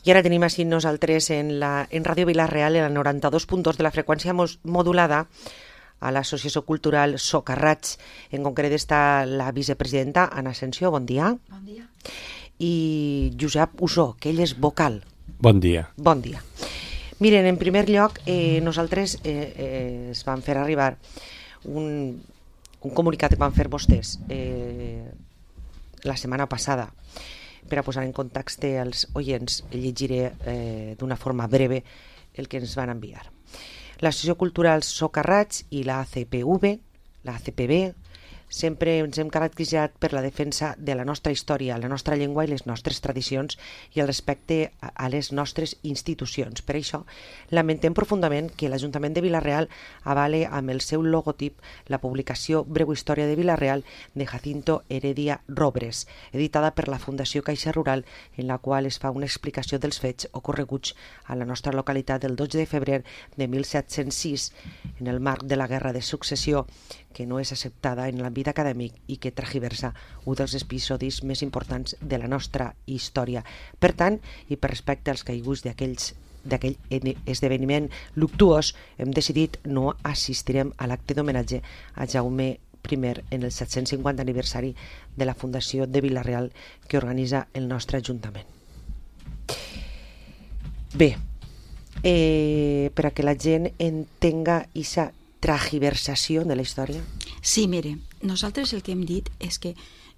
I ara tenim així nosaltres en Ràdio Vila-real, en el 92.2 de la freqüència modulada, a l'Associació Cultural Socarrats. En concret està la vicepresidenta Anna Asensio, bon dia. Bon dia. I Josep Usó, que ell és vocal. Bon dia. Bon dia. Miren, en primer lloc, nosaltres es van fer arribar un comunicat que van fer vostès la setmana passada per a posar en context els oients. Llegiré d'una forma breve el que ens van enviar. L'Associació Cultural Socarrats i la ACPB sempre ens hem caracteritzat per la defensa de la nostra història, la nostra llengua i les nostres tradicions i el respecte a les nostres institucions. Per això, lamentem profundament que l'Ajuntament de Vila-real avale amb el seu logotip la publicació Breu història de Vila-real de Jacinto Heredia Robres, editada per la Fundació Caixa Rural, en la qual es fa una explicació dels fets ocorreguts a la nostra localitat el 12 de febrer de 1706, en el marc de la Guerra de Successió, que no és acceptada en l'àmbit acadèmic i que tragiversa un dels episodis més importants de la nostra història. Per tant, i per respecte als caiguts d'aquell esdeveniment luctuós, hem decidit no assistirem a l'acte d'homenatge a Jaume I en el 750 aniversari de la Fundació de Vila-real que organitza el nostre Ajuntament. Bé, per a que la gent entenga aquesta tragiversació de la història? Sí, mire, nosaltres el que hem dit és que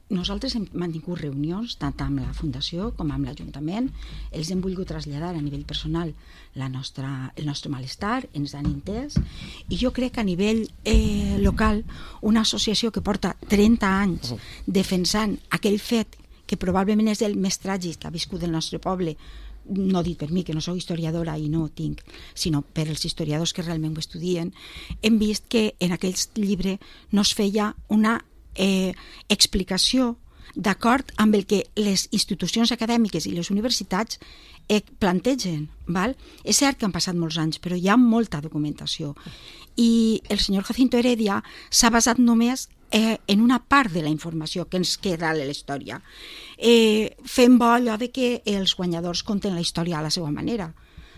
nosaltres hem mantingut reunions tant amb la Fundació com amb l'Ajuntament. Els hem volgut traslladar a nivell personal el nostre malestar, ens han entès, i jo crec que a nivell local una associació que porta 30 anys defensant aquell fet que probablement és el més tràgic que ha viscut el nostre poble, no dit per mi, que no sóc historiadora i no tinc, sinó per els historiadors que realment ho estudien, hem vist que en aquell llibre no es feia una explicació d'acord amb el que les institucions acadèmiques i les universitats plantegen. Val? És cert que han passat molts anys, però hi ha molta documentació. I el senyor Jacinto Heredia s'ha basat només en una part de la informació que ens queda a la història. Fem bo allò de que els guanyadors conten la història a la seva manera.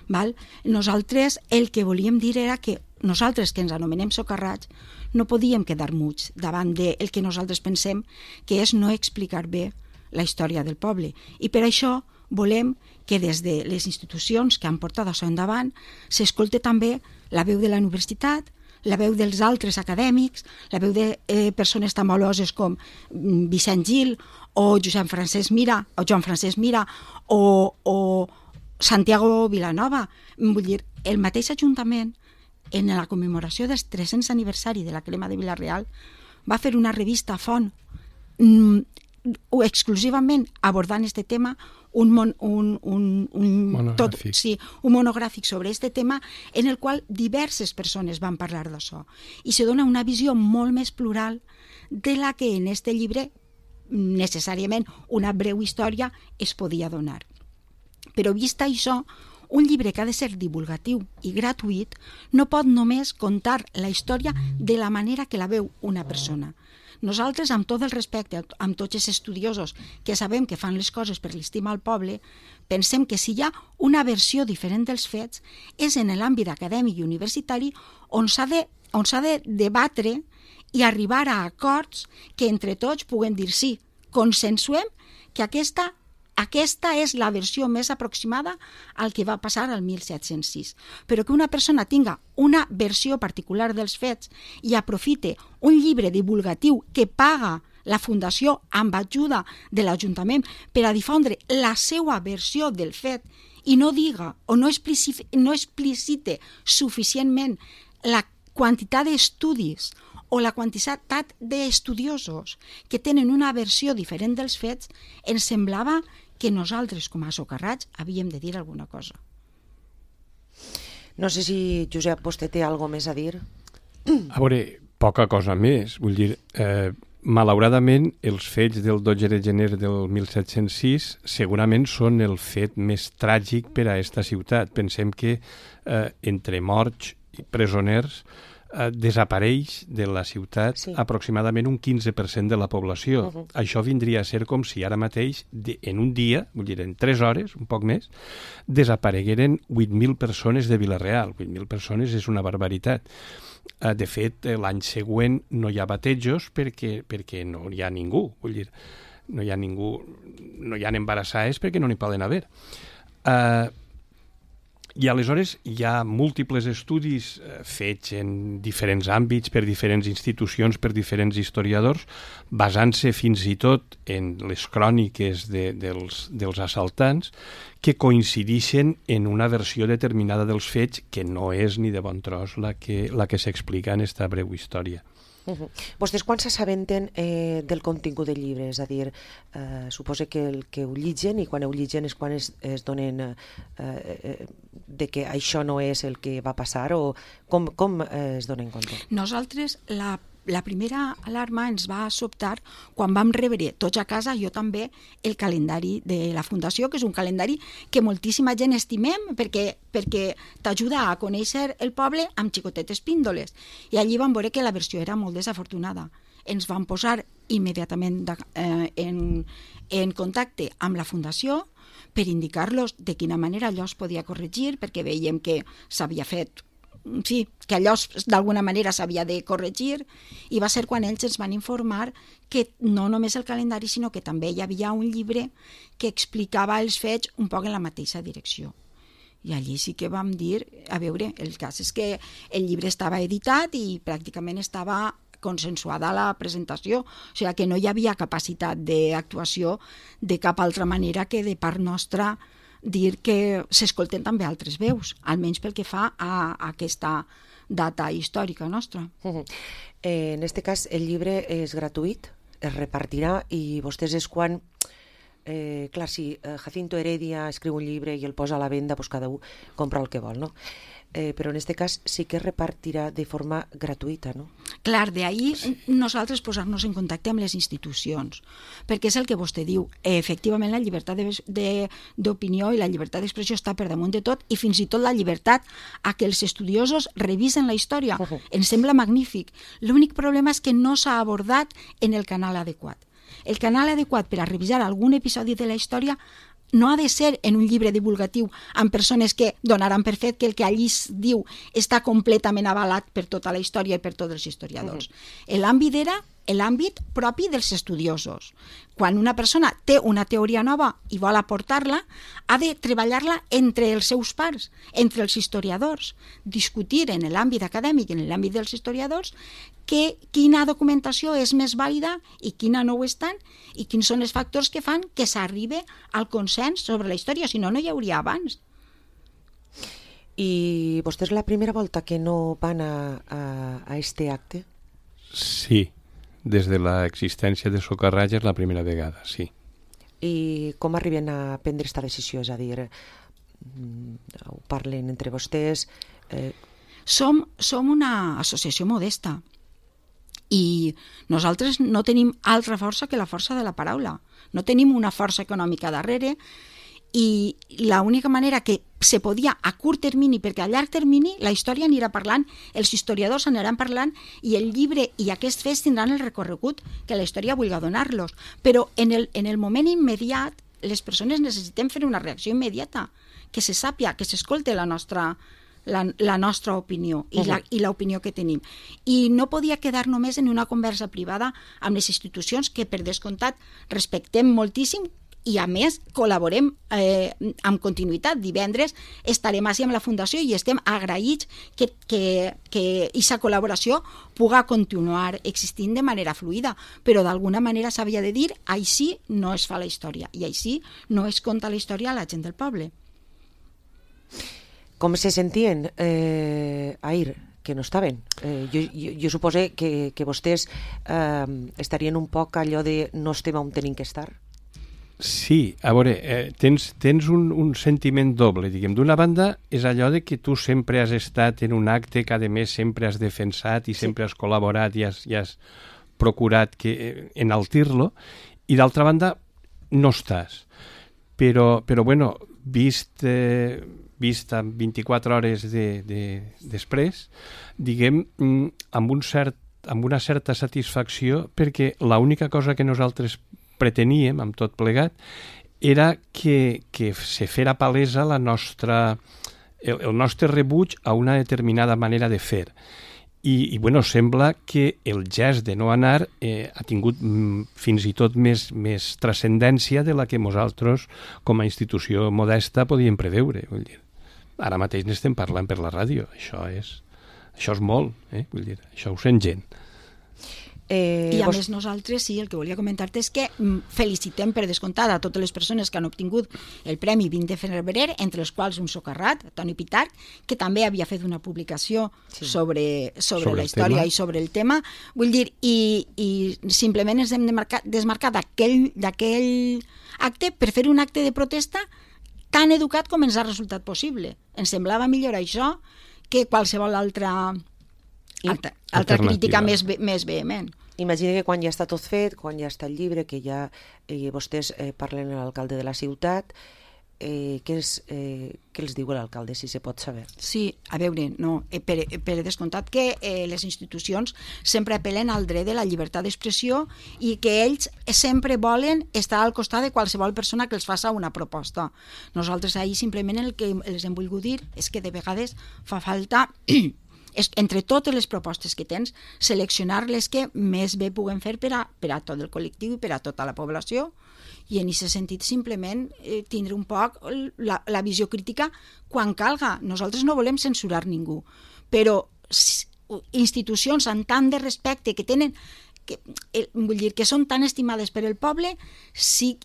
Val? Nosaltres el que volíem dir era que nosaltres, que ens anomenem socarrats, no podíem quedar muts davant del que nosaltres pensem que és no explicar bé la història del poble. I per això volem que des de les institucions que han portat això endavant s'escolte també la veu de la universitat, la veu dels altres acadèmics, la veu de persones tan valuoses com Vicent Gil o Joan Francesc Mira o Santiago Vilanova. Vull dir, el mateix Ajuntament, en la commemoració del 300 aniversari de la crema de Vila-real, va fer una revista Font exclusivament abordant este tema, un monogràfic sobre este tema, en el qual diverses persones van parlar d'això, i se dona una visió molt més plural de la que en este llibre necessàriament una breu història es podia donar. Però vist això, un llibre que ha de ser divulgatiu i gratuït no pot només contar la història de la manera que la veu una persona. Nosaltres, amb tot el respecte, amb tots els estudiosos que sabem que fan les coses per l'estima al poble, pensem que si hi ha una versió diferent dels fets és en l'àmbit acadèmic i universitari on s'ha de debatre i arribar a acords que entre tots puguen dir sí, consensuem que aquesta és la versió més aproximada al que va passar al 1706. Però que una persona tinga una versió particular dels fets i aprofite un llibre divulgatiu que paga la Fundació amb ajuda de l'Ajuntament per a difondre la seva versió del fet i no diga o no explicite suficientment la quantitat d'estudis o la quantitat d'estudiosos que tenen una versió diferent dels fets, ens semblava que nosaltres, com a socarrats, havíem de dir alguna cosa. No sé si, Josep, vostè té alguna cosa més a dir? A veure, poca cosa més. Vull dir, malauradament, els fets del 12 de gener del 1706 segurament són el fet més tràgic per a aquesta ciutat. Pensem que entre morts i presoners desapareix de la ciutat aproximadament un 15% de la població. Això vindria a ser com si ara mateix, en un dia, vull dir, en 3 hores, un poc més, desaparegueren 8.000 persones de Vila-real. 8.000 persones és una barbaritat. De fet, l'any següent no hi ha batejos perquè no hi ha ningú. Vull dir, no hi ha ningú, no hi ha embarassades perquè no n'hi poden haver. I aleshores hi ha múltiples estudis fets en diferents àmbits per diferents institucions, per diferents historiadors, basant-se fins i tot en les cròniques dels assaltants, que coincideixen en una versió determinada dels fets que no és ni de bon tros la que s'explica en esta breu història. Vostès quan s'assabenten del contingut del llibre? És a dir, suposo que el que ho llitgen, i quan ho llitgen és quan es donen de que això no és el que va passar, o com es donen compte? Nosaltres, la primera alarma ens va sobtar quan vam rebre tots a casa, jo també, el calendari de la Fundació, que és un calendari que moltíssima gent estimem perquè t'ajuda a conèixer el poble amb xicotetes píndoles. I allí vam veure que la versió era molt desafortunada. Ens vam posar immediatament en contacte amb la Fundació per indicar-los de quina manera allò es podia corregir, perquè veiem que s'havia fet que allò d'alguna manera s'havia de corregir, i va ser quan ells ens van informar que no només el calendari, sinó que també hi havia un llibre que explicava els fets un poc en la mateixa direcció. I allí sí que vam dir, a veure, el cas és que el llibre estava editat i pràcticament estava consensuada la presentació, o sigui que no hi havia capacitat d'actuació de cap altra manera que de part nostra dir que s'escolten també altres veus, almenys pel que fa a aquesta data històrica nostra. En aquest cas, el llibre és gratuït, es repartirà, i vostès és quan... clar, si Jacinto Heredia escriu un llibre i el posa a la venda, doncs cada un compra el que vol, no? Però en aquest cas sí que es repartirà de forma gratuïta, no? Clar, d'ahir nosaltres posar-nos en contacte amb les institucions, perquè és el que vostè diu, efectivament la llibertat d'opinió i la llibertat d'expressió està per damunt de tot, i fins i tot la llibertat a que els estudiosos revisen la història. Ens sembla magnífic. L'únic problema és que no s'ha abordat en el canal adequat. El canal adequat per a revisar algun episodi de la història no ha de ser en un llibre divulgatiu amb persones que donaran per fet que el que allí es diu està completament avalat per tota la història i per tots els historiadors. L'àmbit era l'àmbit propi dels estudiosos. Quan una persona té una teoria nova i vol aportar-la, ha de treballar-la entre els seus pares, entre els historiadors, discutir en l'àmbit acadèmic, en l'àmbit dels historiadors, quina documentació és més vàlida i quina no ho és tant, i quins són els factors que fan que s'arribi al consens sobre la història, si no, no hi hauria abans. I vostès la primera volta que no van a este acte? Sí, des de l'existència de Socarratge és la primera vegada, sí. I com arriben a prendre aquesta decisió? És a dir, ho parlen entre vostès? Som una associació modesta i nosaltres no tenim altra força que la força de la paraula. No tenim una força econòmica darrere, i l'única manera que se podia a curt termini, perquè a llarg termini la història anirà parlant, els historiadors aniran parlant i el llibre i aquests fets tindran el recorregut que la història vulgui donar-los, però en el moment immediat les persones necessitem fer una reacció immediata, que se sàpia, que s'escolte la nostra opinió i l'opinió que tenim, i no podia quedar només en una conversa privada amb les institucions que per descomptat respectem moltíssim i a més col·laborem amb continuïtat. Divendres estarem així amb la Fundació i estem agraïts que aquesta col·laboració pugui continuar existint de manera fluida, però d'alguna manera s'havia de dir així no es fa la història i així no es conta la història a la gent del poble. Com se sentien ahir que no estaven? Jo suposo que vostès estarien un poc allò de no estem on tenim que estar. Sí, a veure, tens un sentiment doble, diguem. D'una banda, és allò de que tu sempre has estat en un acte que, a més, sempre has defensat i sempre has col·laborat i has procurat enaltir-lo, i d'altra banda, no estàs. Però bueno, vist vista 24 hores després, diguem, amb una certa satisfacció, perquè l'única cosa que nosaltres preteníem amb tot plegat era que se fera palesa el nostre rebuig a una determinada manera de fer. I bueno, sembla que el gest de no anar ha tingut fins i tot més transcendència de la que nosaltres, com a institució modesta, podíem preveure. Vull dir, ara mateix n'estem parlant per la ràdio. Això és molt, vull dir, això ho sent gent. I a més nosaltres, sí, el que volia comentar-te és que felicitem per descomptat a totes les persones que han obtingut el Premi 20 de febrer, entre els quals un socarrat, Toni Pitarch, que també havia fet una publicació sobre la història i sobre el tema. Vull dir, i simplement ens hem desmarcat d'aquell acte per fer un acte de protesta tan educat com ens ha resultat possible. Ens semblava millor això que qualsevol altra crítica més vehement. Imagina que quan ja està tot fet, quan ja està el llibre, que ja vostès parlen amb l'alcalde de la ciutat, què els diu l'alcalde, si se pot saber? Sí, a veure, no, per descomptat que les institucions sempre apel·len al dret de la llibertat d'expressió i que ells sempre volen estar al costat de qualsevol persona que els faça una proposta. Nosaltres ahir simplement el que els hem volgut dir és que de vegades fa falta entre totes les propostes que tens, seleccionar les que més bé puguem fer per a tot el col·lectiu i per a tota la població, i en aquest sentit simplement tindre un poc la visió crítica quan calga. Nosaltres no volem censurar ningú, però institucions amb tant de respecte que tenen, vull dir, que són tan estimades per el poble, sí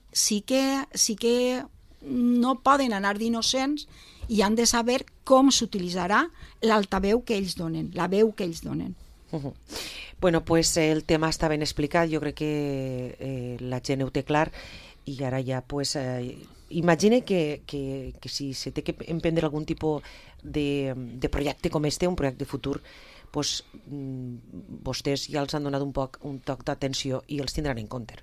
que no poden anar d'innocents i han de saber com s'utilitzarà l'altaveu que ells donen, la veu que ells donen. Bueno, pues el tema està ben explicat, jo crec que la gent ho té clar, i ara ja, pues, imagine que si se té que emprendre algun tipus de projecte com este, un projecte futur, pues, vostès ja els han donat un toc d'atenció i els tindran en compte.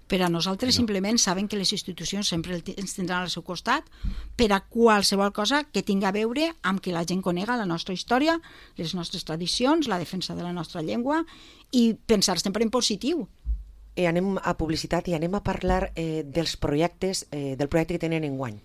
Per a nosaltres simplement saben que les institucions sempre ens tindran al seu costat per a qualsevol cosa que tingui a veure amb que la gent conega la nostra història, les nostres tradicions, la defensa de la nostra llengua i pensar sempre en positiu. Anem a publicitat i anem a parlar del projecte que tenen enguany.